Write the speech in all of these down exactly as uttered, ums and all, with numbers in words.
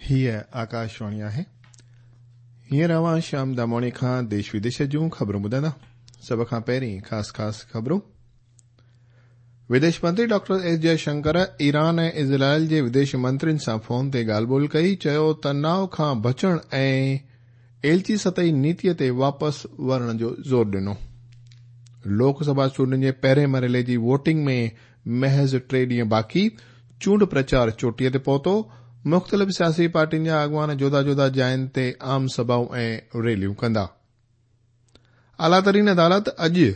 हीअ आकाशवाणी आहे। हींअर अव्हां श्याम दामोणी खां देश विदेश जूं ख़बरूं ॿुधंदा। सभ खां पहिरीं ख़ासि ख़ासि ख़बरूं। विदेश मंत्री डॉक्टर एस जयशंकर ईरान ऐं इज़राइल जे विदेश मंत्रियुनि सां फोन ते ॻाल्हि ॿोल कई। चयो तनाव खां बचण ऐं एलची सतही नीतीअ ते वापसि वरणु जो ज़ोर ॾिनो। लोकसभा चूंडुनि जे पहिरें मरहले जी वोटिंग में महज़ टे ॾींहं बाक़ी। चूंड प्रचार चोटीअ ते पहुतो। मुख़्तलिफ़ सियासी पार्टियुनि जा अॻुवान जुदा जुदा जायुनि ते आम सभाऊं ऐं रैलियूं कंदा। आला तरीन अदालत अॼु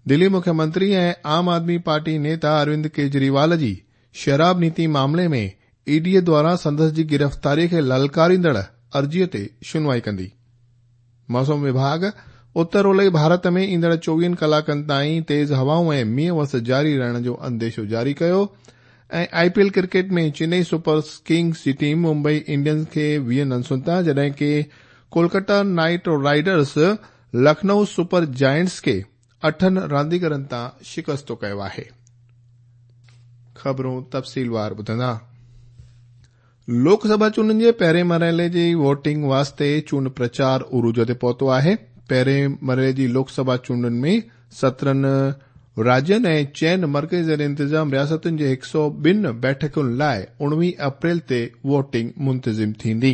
दिल्ली मुख्यमंत्री ऐं आम आदमी पार्टी नेता अरविंद केजरीवाल जी शराब नीति मामले में ईडीअ द्वारा संदसि जी गिरफ़्तारीअ खे ललकारींदड़ अर्ज़ीअ ते शुनवाई कंदी। मौसम विभाग उत्तर ओलई भारत में ईंदड़ चोवीहनि कलाकनि ताईं तेज़ हवाऊं ऐं मींहं वस जारी रहण जो अंदेशो जारी कयो। ऐं I P L cricket में चेन्नई सुपर किंग्स जी टीम मुंबई इंडियंस खे वीह रनसुनि तां, जॾहिं की Kolkata Knight Riders Lucknow Super Giants खे अठनि रांदीगरनि तां शिकस्तो कयो आहे। ख़बरूं तफ़सीलवार ॿुधंदा। लोकसभा चूंडुनि जे पहिरें मरहले जी वोटिंग वास्ते चूंड प्रचार उरूज ते पहुतो आहे। पहिरें मरहले जी लोकसभा चूंडुनि में सत्रहं राज्यनि ऐं चइनि मर्कज़ी ज़ेर इंतिज़ाम रियासतुनि जे हिकु सौ ॿिनि बैठकुनि लाइ उणिवीह अप्रैल ते वोटिंग मुंतज़िम थींदी।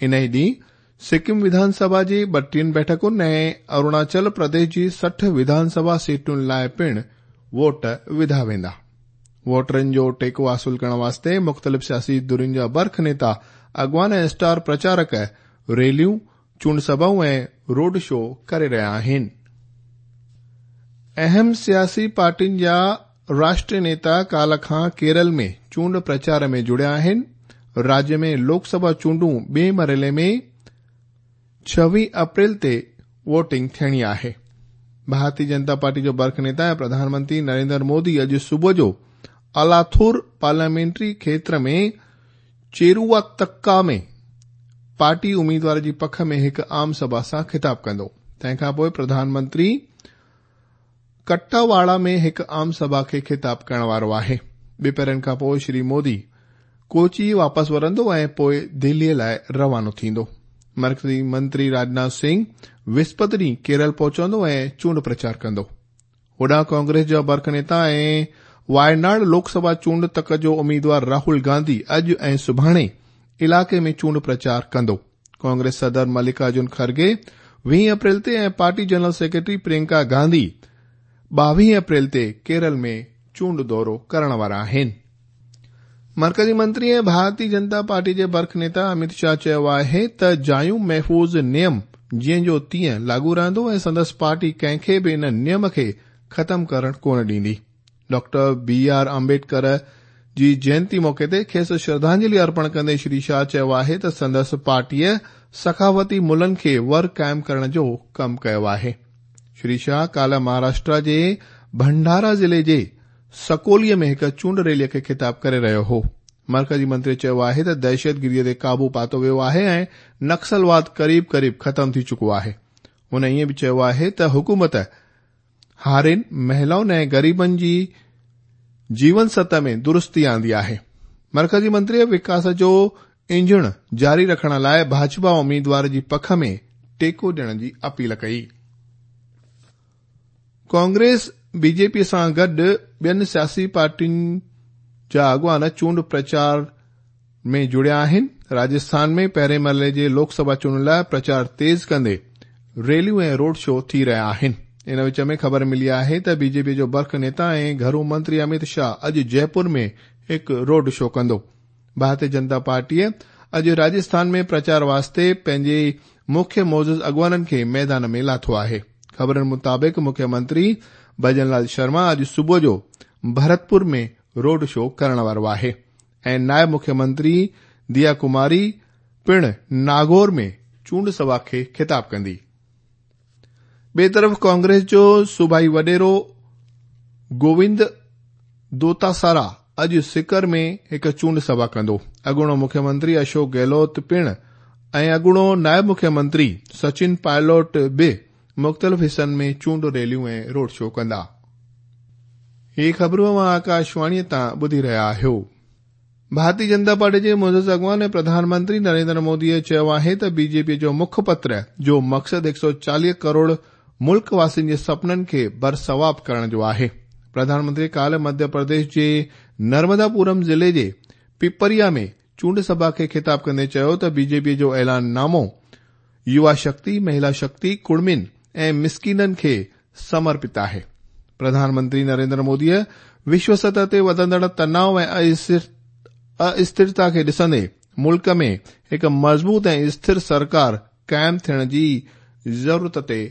इन ई ॾींहुं सिक्किम विधानसभा जी ॿटीहनि बैठकुनि ऐं अरुणाचल प्रदेश जी सठि विधानसभा सीटुनि लाइ पिणु वोट विधा वेंदा। वोटरनि जो टेको हासिल करण वास्ते मुख़्तलिफ़ सियासी धुरियुनि जा बर्ख नेता, अॻुवान ऐं स्टार प्रचारक रैलियूं, चूंड सभाऊं ऐं रोड शो करे रहिया आहिनि। अहम सियासी पार्टियुनि जा राष्ट्रीय नेता काल्ह खां केरल में चूंड प्रचार में जुड़िया आहिनि। राज्य में लोकसभा चूंडूं ॿिए मरहले में छवीह अप्रैल ते वोटिंग थियणी आहे। भारतीय जनता पार्टी जो बर्ख नेता ऐं प्रधानमंत्री नरेंद्र मोदी अॼु सुबुह जो अलाथुर पार्लियामेंट्री क्षेत्र में चेरुवातक्का में पार्टी उम्मीदवार जी पख में हिकु आम सभा सां ख़िताब कंदो। तंहिंखां पोइ प्रधानमंत्री कट्टावाड़ा में हिकु आम सभा खे ख़िताब करण वारो आहे। ॿिपहरनि खां पोइ श्री मोदी कोची वापसि वरंदो ऐं पोइ दिल्लीअ लाइ रवानो थींदो। मर्कज़ी मंत्री राजनाथ सिंह विस्पति ॾींहुं केरल पहुचंदो ऐं चूंड प्रचार कंदो। होॾां कांग्रेस जा बर्ख नेता ऐं वायनाड लोकसभा चूंड तक जो उम्मीदवार राहुल गांधी अॼु ऐं सुभाणे इलाइक़े में चूंड प्रचार कंदो। कांग्रेस सदर मल्लिकार्जुन खड़गे वीह अप्रैल ते ऐं party general secretary Priyanka Gandhi ॿावीह अप्रैल ते केरल में चूंड दौरो करण वारा आहिनि। मर्कज़ी मंत्री ऐं भारतीय जनता पार्टी जे बर्ख नेता अमित शाह चयो आहे त जायूं महफ़ूज़ नियम जीअं जो तीअं लागू रहंदो ऐं संदसि पार्टी कंहिंखे बि इन नियम खे ख़तम करण कोन ॾींदी। डॉक्टर बी आर आम्बेडकर जी जयंती मौक़े ते खेसि श्रद्धांजलि अर्पण कंदे श्री शाह चयो आहे त संदसि पार्टीअ सखावती मुलनि खे वर क़ाइमु करण जो कमु कयो आहे। श्री शाह काल्ह महाराष्ट्र जे भंडारा ज़िले जे सकोलीअ में हिकु चूंड रैलीअ खे ख़िताब करे रहियो हो। मर्कज़ी मंत्री चयो आहे त दहशतगिरीअ ते क़ाबू पातो वियो आहे ऐं नक्सलवाद क़रीब क़रीब ख़तम थी चुको आहे। हुन ईअं बि चयो आहे त हुकूमत हारियुनि, महिलाउनि ऐं ग़रीबनि जी जीवन सतह में दुरुस्ती आंदी आहे। मर्कज़ी मंत्रीअ विकास जो इंजण जारी रखण लाइ भाजपा उम्मीदवार जी पख में टेको ॾियण जी अपील कई। कांग्रेस बीजेपी सां गॾु ॿियनि सियासी पार्टियुनि जा अॻुवान चूंड प्रचार में जुड़िया आहिनि। राजस्थान में पहिरें मरहले जे लोकसभा चूंडुनि लाइ प्रचार तेज़ कंदे रैलियूं ऐं रोड शो थी रहिया आहिनि। इन विच में ख़बर मिली आहे त बीजेपी जो बर्ख नेता ऐं घरू मंत्री अमित शाह अॼु जयपुर में हिकु रोड शो कंदो। भारतीय जनता पार्टीअ अॼु राजस्थान में प्रचार वास्ते पंहिंजे मुख्य मौज़ूद अॻुवाननि खे मैदान में लाथो आहे। ख़बरनि मुताबिक़ मुख्यमंत्री भजनलाल शर्मा अॼु सुबुह जो भरतपुर में रोड शो करण वारो आहे ऐं नायब मुख्यमंत्री दिया कुमारी पिणु नागौर में चूंड सभा खे ख़िताब कंदी। ॿिए तरफ़ कांग्रेस जो सूबाई वॾेरो गोविंद दोतासारा अॼु सिकर में हिकु चूंड सभा कंदो। अॻूणो मुख्यमंत्री अशोक गहलोत पिणु ऐं अॻूणो नायब मुख्यमंत्री सचिन पायलट बि मुख़्तलिफ़ हिसनि में चूंड रैलियूं ऐं रोड शो कंदा। ही ख़बरूं अव्हां आकाशवाणीअ तां ॿुधी रहिया आहियो। ڀارتيه جنتا پارٽي جي معزز اڳواڻ ۽ پرڌان منتري نريندر موديء چيو آهي ته بي جي پي جو مکپتر جو مقصد هڪ سؤ چاليهه ڪروڙ ملڪ واسين جي سپنن کي برثواب ڪرڻ جو آهي. پرڌان منتري ڪالهه مڌيه پرديش جي نرمداپورم ضلعي جي پپريا ۾ چونڊ سڀا کي خطاب ڪندي چيو ته بي جي پي جو اعلان نامو يووا شڪتي، مهلا شڪتي، ڪڙمين ۽ مسڪينن کي سمرپت آهي. پرڌان منتري نريندر موديء وشو سطح تي وڌندڙ تناء ۽ اسٿرتا کي ڏسندي ملڪ ۾ هڪ مضبوط ۽ اسٿر سرڪار قائم ٿيڻ جي ضرورت تي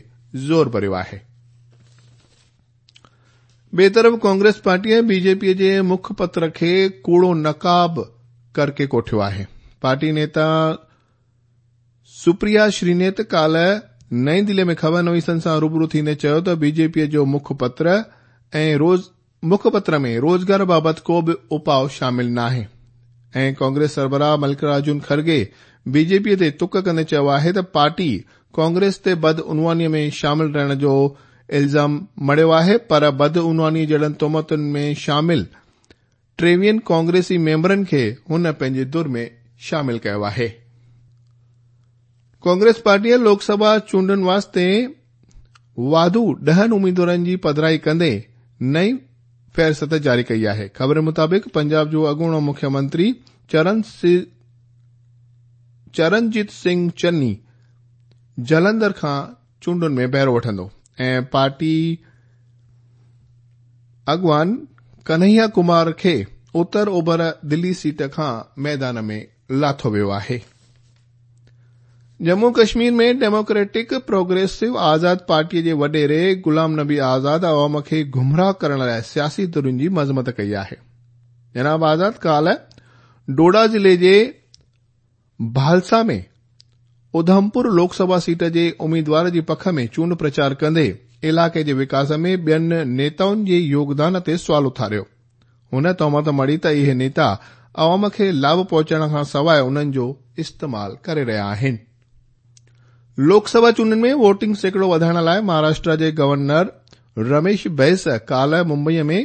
زور ڀريو آهي. ٻئي طرف ڪانگريس پارٽيء بي جي پي جي مکپتر کي ڪوڙو نقاب ڪرڪي ڪوٺيو آهي. پارٽي نيتا سپريا شرينيت ڪالهه نئين دلي ۾ خبر نويسن سان روبرو ٿيندي چيو ته بي جي پي جو مکپتر ۽ روز مکپتر ۾ روزگار بابت ڪو به اپاء شامل ناهي ۽ ڪانگريس سربراهه ملڪارجن کرگي بي جي پي تي تڪ ڪندي چيو آهي ته پارٽي ڪانگريس تي بدعنواني ۾ شامل رهڻ جو الزام مڙهيو آهي پر بدعنواني جهڙن تهمتن ۾ شامل ٽيويهن ڪانگريسي ميمبرن کي هن پنهنجي ڌر ۾ شامل ڪيو آهي. ڪانگريس پارٽيء لوڪ سڀا چونڊن واسطي واڌو ڏهن اميدوارن جي پڌرائي ڪندي نئين فهرست جاري ڪئي آهي. خبر مطابق پنجاب جو اڳوڻو مکيه منتري چرنجيت سنگهه چني جلنڌر کان چونڊن ۾ بهرو وٺندو ۽ پارٽي اڳواڻ ڪنهيا ڪمار کي اتر اوڀر دلي سيٽ کان ميدان ۾ لاٿو ويو آهي. ڄمون ڪشمير ۾ ڊيموڪريٽڪ پروگريسو آزاد پارٽيء جي وڏيري غلام نبي آزاد عوام کي گمراهه ڪرڻ لاء سياسي ڌرين جي مذمت ڪئي آهي. جناب آزاد ڪالهه ڊوڊا ضلعي جي ڀالسا ۾ اڌمپور لوڪ سڀا سيٽ جي اميدوار جي پک ۾ چونڊ پرچار ڪندي علائقي جي وڪاس ۾ ٻين نيتائن جي يوگدان تي سوال اٿاريو. هن تهمت مڙهي ته اهي نيتا عوام کي لاڀ پهچائڻ کان سواء انهن جو استعمال ڪري رهيا آهن. لوڪ سڀا چونڊن ۾ ووٽنگ سيڪڙو وڌائڻ لاء مهاراشٽر جي گورنر رميش بيس ڪالهه ممبئي ۾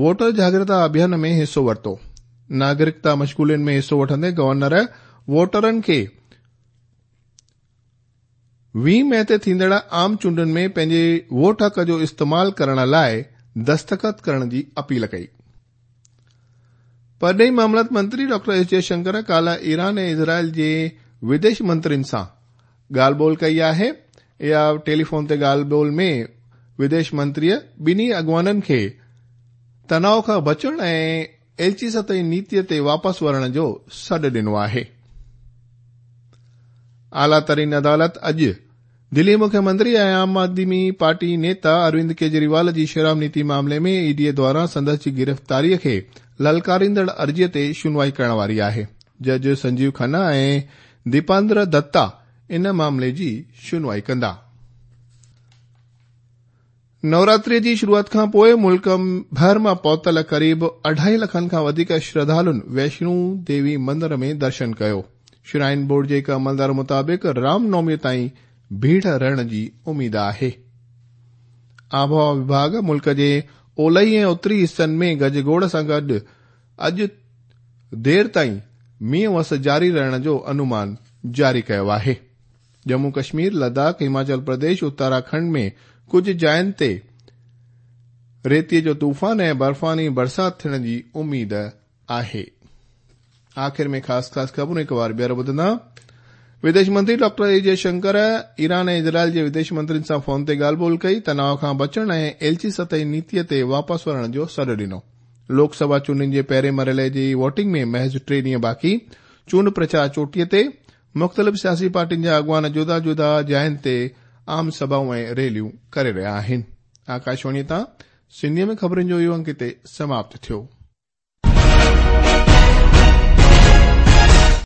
ووٽر جاڳرتا اڀيان ۾ حصو ورتو. ناگرڪتا مشغولين ۾ حصو وٺندي گورنر ووٽرن کي ويهه مئي تي ٿيندڙ عام چونڊن ۾ پنهنجي ووٽ حق جو استعمال ڪرڻ لاء دستخط ڪرڻ جي اپيل ڪئي. پرڏيهي معاملات منتري ڊاڪٽر ايس جئشنڪر ڪالهه ايران ۽ اسرائيل جي وديش منترين سان ڳالهه ٻولهه ڪئي آهي. اها ٽيليفون تي ڳالهه ٻولهه ۾ وديش منتريء ٻنهي اڳواڻن کي تناء کان بچڻ ۽ ايلچي سطحي نيتيء تي واپس ورڻ جو سڏ ڏنو آهي. اعليٰ ترين عدالت اڄ دلي مکيه منتري ۽ عام آدمي پارٽي نيتا اروند ڪيجريوال جي شراب نيتي معاملي ۾ اي ڊي دواران سندس جي گرفتاري کي للڪاريندڙ عرضي تي شنوائي ڪرڻ واري آهي. جج سنجيو کنا ۽ ديپاندر دتا ان معاملي جي شنوائي ڪندا. نوراتري جي شروعات کان پوءِ ملڪ ڀر مان پهتل قريب اڍائي لکن کان وڌيڪ شرڌالن ويشنو ديوي مندر ۾ درشن ڪيو. شرائن بورڊ جي هڪ عملدار مطابق رام نومي تائين ڀيڙ رهڻ جي اميد آهي. آبهوا وڀاڳ ملڪ جي اولهي ۽ اتري حصن ۾ گجگوڙ سان گڏ اڄ دير تائين مينهن وس جاري رهڻ جو انومان جاري ڪيو آهي. ڄمون ڪشمير، لداخ، هماچل پرديش، اتراکنڊ ۾ ڪجهه جاين تي ريتي جو طوفان ۽ برفاني برسات ٿيڻ جي اميد آهي. آخر ۾ خاص خاص خبرون هڪ بار ٻيهر ٻڌندا. وديش منتري ڊاڪٽر اي جئشنڪر ايران ۽ اسرائيل جي وديش منترين سان فون تي ڳالهه ٻولهه ڪئي، تناء کان بچڻ ۽ ايلچي سطحي نيتي تي واپس ورڻ جو سڏ ڏنو. لوڪ سڀا چونڊن جي پهرين مرحلي جي ووٽنگ ۾ محض ٽي ڏينهن باقي، چونڊ پرچار چوٽيء تي، مختلف سياسي پارٽين جا اڳواڻ جدا جدا جاين تي عام سڀائون ۽ ريليون ڪري رهيا آهن. آڪاشواڻي تان سنڌيء ۾ خبرن جو اهو انڪ هتي سماپت ٿيو.